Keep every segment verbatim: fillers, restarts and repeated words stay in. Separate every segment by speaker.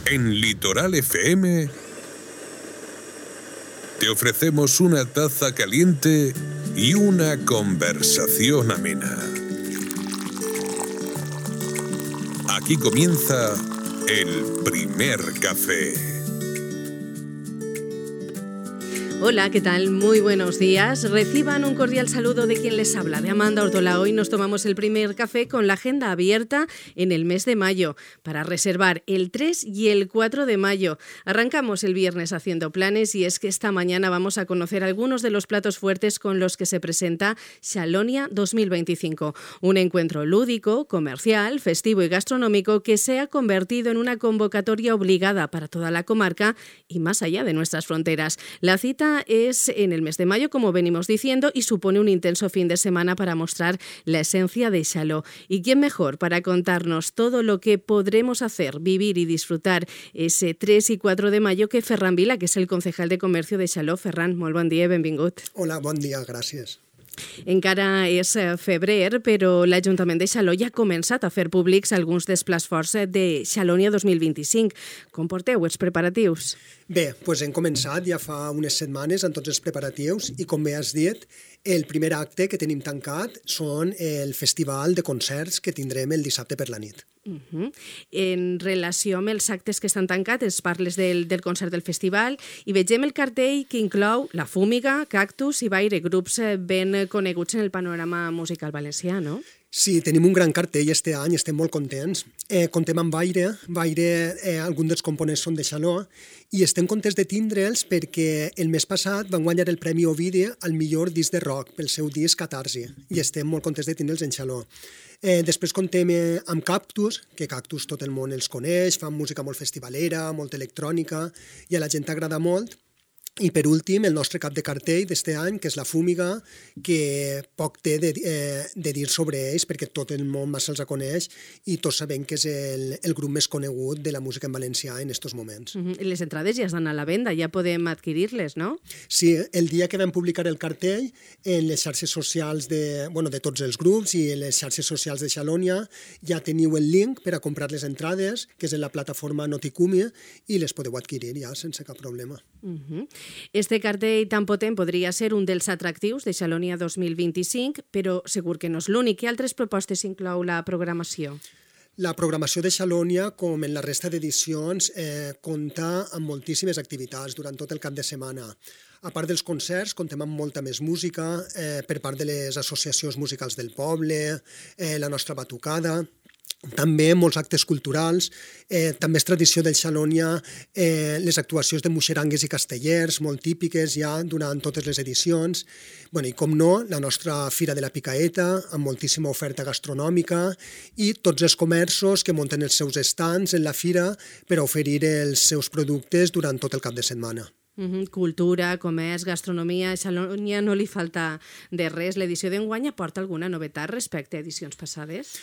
Speaker 1: En Litoral F M te ofrecemos una taza caliente y una conversación amena. Aquí comienza el primer café.
Speaker 2: Hola, ¿qué tal? Muy buenos días. Reciban un cordial saludo de quien les habla, de Amanda Ortola. Hoy nos tomamos el primer café con la agenda abierta en el mes de mayo para reservar el tres y el cuatro de mayo. Arrancamos el viernes haciendo planes y es que esta mañana vamos a conocer algunos de los platos fuertes con los que se presenta Xalonia dos mil veinticinco. Un encuentro lúdico, comercial, festivo y gastronómico que se ha convertido en una convocatoria obligada para toda la comarca y más allá de nuestras fronteras. La cita es en el mes de mayo, como venimos diciendo, y supone un intenso fin de semana para mostrar la esencia de Xaló. ¿Y quién mejor para contarnos todo lo que podremos hacer, vivir y disfrutar ese tres y cuatro de mayo que Ferran Vila, que és el concejal de comercio de Xaló? Ferran, molt bon dia i benvingut.
Speaker 3: Hola, bon dia, gràcies.
Speaker 2: Encara és febrer, però l'Ajuntament de Xaló ja ha començat a fer públics alguns dels plats forts de Xalonia dos mil vint-i-cinc. Com porteu els preparatius?
Speaker 3: Bé, doncs hem començat ja fa unes setmanes amb tots els preparatius i, com bé has dit, el primer acte que tenim tancat són el festival de concerts que tindrem el dissabte per la nit.
Speaker 2: Uh-huh. En relació amb els actes que estan tancats, ens parles del, del concert del festival i vegem el cartell que inclou La Fúmiga, Cactus i Baire, grups ben coneguts en el panorama musical valencià, no?
Speaker 3: Sí, tenim un gran cartell este any, estem molt contents. Eh, contem amb Baire, Baire, eh, alguns dels components són de Xaló, i estem contents de tindre'ls perquè el mes passat van guanyar el Premi Ovidi al millor disc de rock pel seu disc Catarsi, i estem molt contents de tindre'ls en Xaló. Eh, després contem eh, amb Cactus, que Cactus tot el món els coneix, fan música molt festivalera, molt electrònica, i a la gent agrada molt. I per últim, el nostre cap de cartell d'este any, que és La Fúmiga, que poc té de, eh, de dir sobre ells, perquè tot el món massa els coneix i tots sabem que és el, el grup més conegut de la música en valencià en estos moments.
Speaker 2: Uh-huh. Les entrades ja estan a la venda, ja podem adquirir-les, no?
Speaker 3: Sí, el dia que vam publicar el cartell, en les xarxes socials de, bueno, de tots els grups i en les xarxes socials de Xalonia, ja teniu el link per a comprar les entrades, que és en la plataforma Noticumi, i les podeu adquirir ja sense cap problema.
Speaker 2: Uh-huh. Este cartell tan potent podria ser un dels atractius de Xalonia dos mil vint-i-cinc, però segur que no és l'únic. Què altres propostes inclou la programació?
Speaker 3: La programació de Xalonia, com en la resta d'edicions, eh, compta amb moltíssimes activitats durant tot el cap de setmana. A part dels concerts, comptem amb molta més música eh, per part de les associacions musicals del poble, eh, la nostra batucada, també molts actes culturals, eh, també és tradició del Xalonia eh, les actuacions de muixerangues i castellers, molt típiques ja durant totes les edicions. Bueno, i com no, la nostra Fira de la Picaeta, amb moltíssima oferta gastronòmica, i tots els comerços que munten els seus estants en la fira per oferir els seus productes durant tot el cap de setmana.
Speaker 2: Uh-huh. Cultura, comerç, gastronomia, a Xalonia no li falta de res. L'edició d'enguany aporta alguna novetat respecte a edicions passades?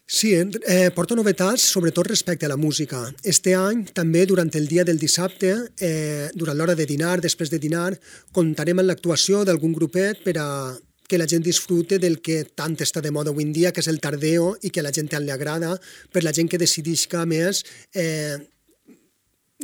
Speaker 3: Sí, eh, porta novetats, sobretot respecte a la música. Este any, també, durant el dia del dissabte, eh, durant l'hora de dinar, després de dinar, comptarem amb l'actuació d'algun grupet per a que la gent disfrute del que tant està de moda avui en dia, que és el tardeo, i que a la gent tant li agrada, per la gent que decidisca més eh,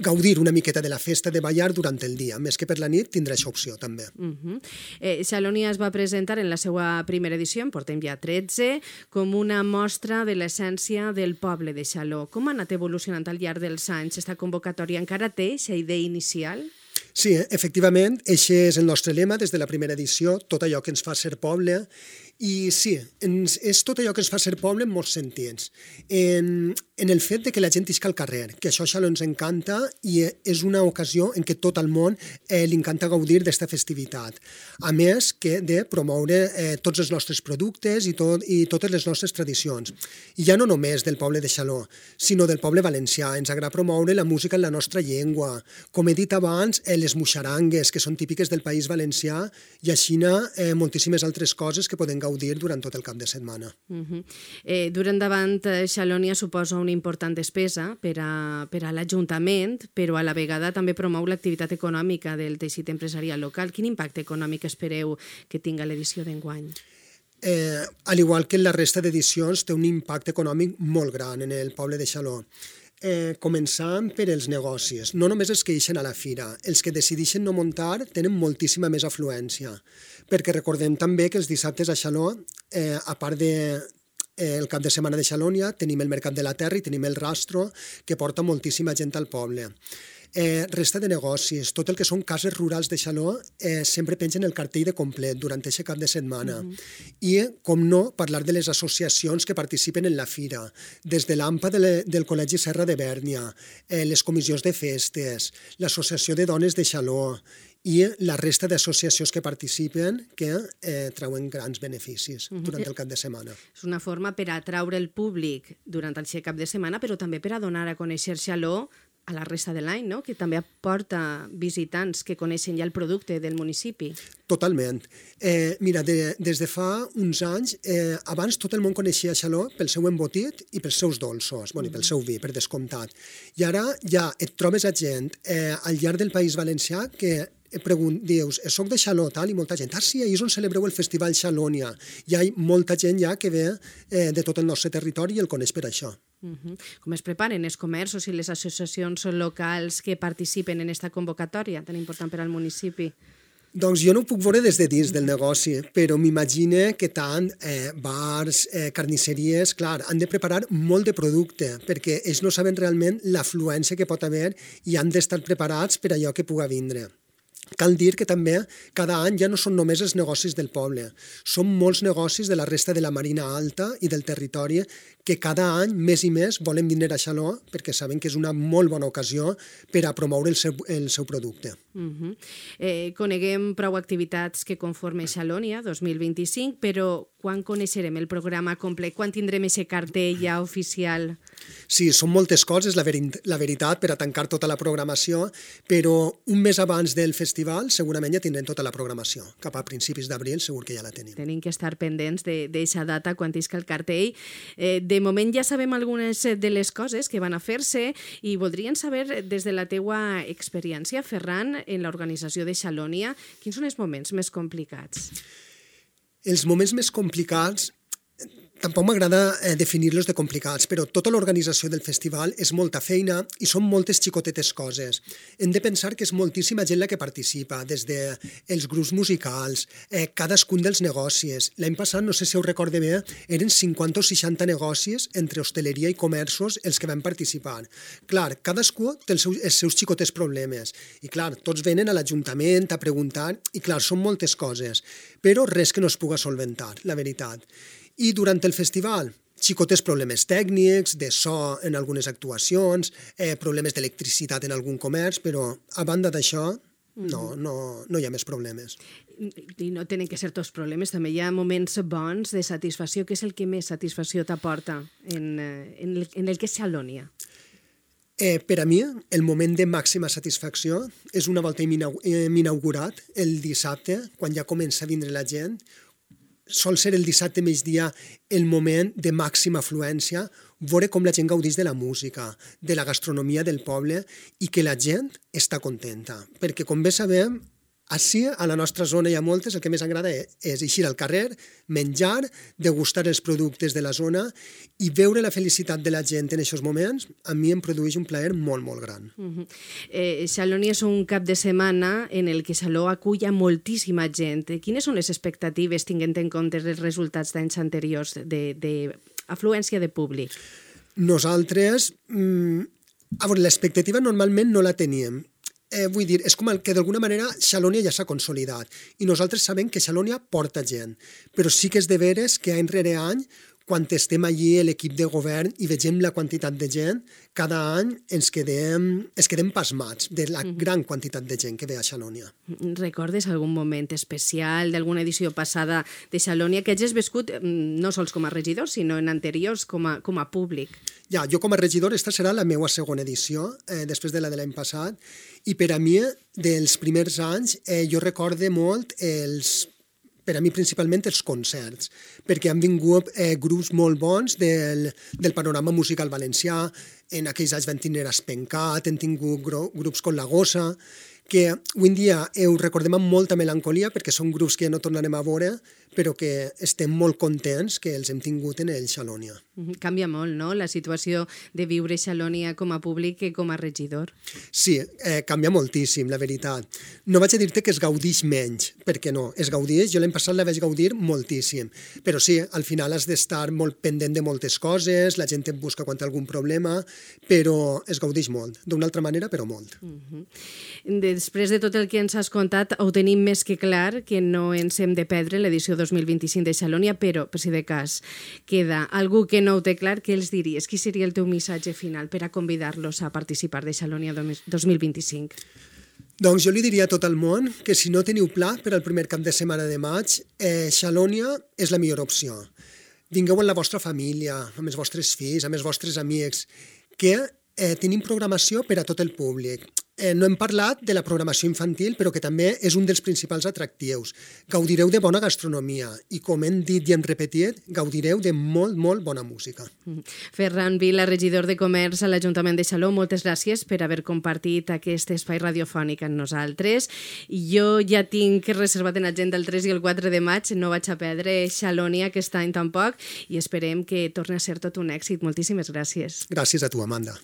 Speaker 3: gaudir una miqueta de la festa de ballar durant el dia, més que per la nit tindrà aquesta opció també.
Speaker 2: Uh-huh. eh, Xalonia es va presentar en la seva primera edició, en portem ja tretze, com una mostra de l'essència del poble de Xaló. Com ha anat evolucionant al llarg dels anys? Esta convocatòria encara té aquesta idea inicial?
Speaker 3: Sí, efectivament, aquest és el nostre lema des de la primera edició, tot allò que ens fa ser poble. I sí, ens, és tot allò que ens fa ser poble en molts sentits. En, en el fet de que la gent isca al carrer, que això Xaló ens encanta i és una ocasió en què tot el món eh, li encanta gaudir d'esta festivitat. A més que de promoure eh, tots els nostres productes i, tot, i totes les nostres tradicions. I ja no només del poble de Xaló, sinó del poble valencià. Ens agrada promoure la música en la nostra llengua. Com he dit abans, eh, les muixerangues, que són típiques del País Valencià, i així eh, moltíssimes altres coses que podem gaudir gaudir durant tot el cap de setmana.
Speaker 2: Uh-huh. eh, Dur endavant Xalonia suposa una important despesa per a, per a l'Ajuntament, però a la vegada també promou l'activitat econòmica del teixit empresarial local. Quin impacte econòmic espereu que tinga l'edició d'enguany?
Speaker 3: Eh, al igual que en la resta d'edicions, té un impacte econòmic molt gran en el poble de Xaló. eh, començant per els negocis. No només els que ixen a la fira. Els que decideixen no muntar tenen moltíssima més afluència. Perquè recordem també que els dissabtes a Xaló, eh, a part de eh, el cap de setmana de Xalònia, tenim el Mercat de la Terra i tenim el Rastro, que porta moltíssima gent al poble. Eh, resta de negocis, tot el que són cases rurals de Xaló eh, sempre pengen el cartell de complet durant aquest cap de setmana. Mm-hmm. I, com no, parlar de les associacions que participen en la fira, des de l'A M P A de le, del Col·legi Serra de Bèrnia, eh, les comissions de festes, l'Associació de Dones de Xaló i la resta d'associacions que participen que eh, treuen grans beneficis mm-hmm. durant el cap de setmana.
Speaker 2: És una forma per atraure el públic durant el cap de setmana, però també per a donar a conèixer Xaló a la resta de l'any, no? Que també aporta visitants que coneixen ja el producte del municipi.
Speaker 3: Totalment. Eh, mira, de, des de fa uns anys, eh, abans tot el món coneixia Xaló pel seu embotit i pels seus dolços, bueno, i pel seu vi, per descomptat. I ara ja et trobes a gent eh, al llarg del País Valencià que pregunt, dius, soc de Xaló, tal, i molta gent, ah, sí, ahir és on celebreu el Festival Xalònia. Hi ha molta gent ja que ve eh, de tot el nostre territori i el coneix per això.
Speaker 2: Uh-huh. Com es preparen els comerços i les associacions locals que participen en aquesta convocatòria tan important per al municipi?
Speaker 3: Doncs jo no ho puc veure des de dins del negoci, però m'imagine que tant eh, bars, eh, carnisseries, clar, han de preparar molt de producte, perquè ells no saben realment l'afluència que pot haver i han d'estar preparats per allò que puga vindre. Cal dir que també cada any ja no són només els negocis del poble, són molts negocis de la resta de la Marina Alta i del territori que cada any més i més volen vindre a Xaló perquè saben que és una molt bona ocasió per a promoure el seu, el seu producte.
Speaker 2: Uh-huh. eh, coneguem prou activitats que conformen Xalònia dos mil vint-i-cinc, però quan coneixerem el programa complet? Quan tindrem aquest cartell ja oficial?
Speaker 3: Sí, són moltes coses, la, veri la veritat, per a tancar tota la programació, però un mes abans del festival segurament ja tindrem tota la programació. Cap a principis d'abril segur que ja la tenim.
Speaker 2: Tenim que estar pendents d'aquesta data quan isca el cartell. Eh, de moment ja sabem algunes de les coses que van a fer-se i voldrien saber, des de la teua experiència, Ferran, en l'organització de Xalònia, quins són els moments més complicats?
Speaker 3: Els moments més complicats, tampoc m'agrada eh, definir-los de complicats, però tota l'organització del festival és molta feina i són moltes xicotetes coses. Hem de pensar que és moltíssima gent la que participa, des dels grups musicals, eh, cadascun dels negocis. L'any passat, no sé si ho recorde bé, eren cinquanta o seixanta negocis entre hostaleria i comerços els que van participar. Clar, cadascú té els seus, els seus xicotes problemes i clar, tots venen a l'Ajuntament a preguntar i clar, són moltes coses, però res que no es puga solventar, la veritat. I durant el festival, xicotes problemes tècnics, de so en algunes actuacions, eh, problemes d'electricitat en algun comerç, però a banda d'això no, no, no hi ha més problemes.
Speaker 2: I no tenen que ser tots problemes, també hi ha moments bons de satisfacció. Què és el que més satisfacció t'aporta en, en, el, en el que és Xalònia?
Speaker 3: Eh, per a mi, el moment de màxima satisfacció és una volta hem inaugurat el dissabte, quan ja comença a vindre la gent. Sol ser el dissabte migdia el moment de màxima afluència, veure com la gent gaudeix de la música, de la gastronomia del poble i que la gent està contenta. Perquè, com bé sabem, ací, a la nostra zona hi ha moltes, el que més agrada és eixir al carrer, menjar, degustar els productes de la zona i veure la felicitat de la gent en aquests moments, a mi em produeix un plaer molt, molt gran.
Speaker 2: Uh-huh. eh, Xalònia és un cap de setmana en el que Xaló acull a moltíssima gent. Quines són les expectatives, tinguent en compte els resultats d'anys anteriors d'afluència de, de públic?
Speaker 3: Nosaltres, mm, a veure, l'expectativa normalment no la teníem. Eh, vull dir, és com el que d'alguna manera Xalònia ja s'ha consolidat i nosaltres sabem que Xalònia porta gent, però sí que és de veres que any rere any, quan estem allí l'equip de govern i vegem la quantitat de gent, cada any ens quedem, ens quedem pasmats de la gran quantitat de gent que ve a Xalònia.
Speaker 2: Recordes algun moment especial d'alguna edició passada de Xalònia que hagis viscut no sols com a regidor, sinó en anteriors com a, com a públic?
Speaker 3: Ja, jo com a regidor, esta serà la meva segona edició, eh, després de la de l'any passat, i per a mi, dels primers anys, eh, jo recorde molt els, per a mi principalment els concerts, perquè han vingut eh, grups molt bons del, del panorama musical valencià, en aquells anys van tindre Espencat, han tingut grups com La Gossa, que avui en dia ho recordem amb molta melancolia perquè són grups que ja no tornarem a veure, però que estem molt contents que els hem tingut en el Xalònia.
Speaker 2: Canvia molt, no?, la situació de viure Xalònia com a públic i com a regidor.
Speaker 3: Sí, eh, canvia moltíssim, la veritat. No vaig a dir-te que es gaudix menys, perquè no, es gaudix, jo l'any passat la vaig gaudir moltíssim, però sí, al final has d'estar molt pendent de moltes coses, la gent et busca quan té algun problema, però es gaudix molt, d'una altra manera, però molt.
Speaker 2: Uh-huh. Després de tot el que ens has contat, ho tenim més que clar que no ens hem de perdre l'edició dos mil vint-i-cinc de Xalònia, però, per si de cas, queda algú que no ho té clar, què els diries? Qui seria el teu missatge final per a convidar-los a participar de Xalònia dos mil vint-i-cinc?
Speaker 3: Doncs jo li diria a tot el món que si no teniu pla per al primer cap de setmana de maig, eh, Xalònia és la millor opció. Vingueu amb la vostra família, amb els vostres fills, amb els vostres amics, que eh, tenim programació per a tot el públic. Eh, no hem parlat de la programació infantil, però que també és un dels principals atractius. Gaudireu de bona gastronomia i, com hem dit i hem repetit, gaudireu de molt, molt bona música.
Speaker 2: Ferran Vila, regidor de Comerç a l'Ajuntament de Xaló, moltes gràcies per haver compartit aquest espai radiofònic amb nosaltres. Jo ja tinc reservat en agenda el tres i el quatre de maig, no vaig a perdre Xalònia aquest any tampoc i esperem que torni a ser tot un èxit. Moltíssimes gràcies.
Speaker 3: Gràcies a tu, Amanda.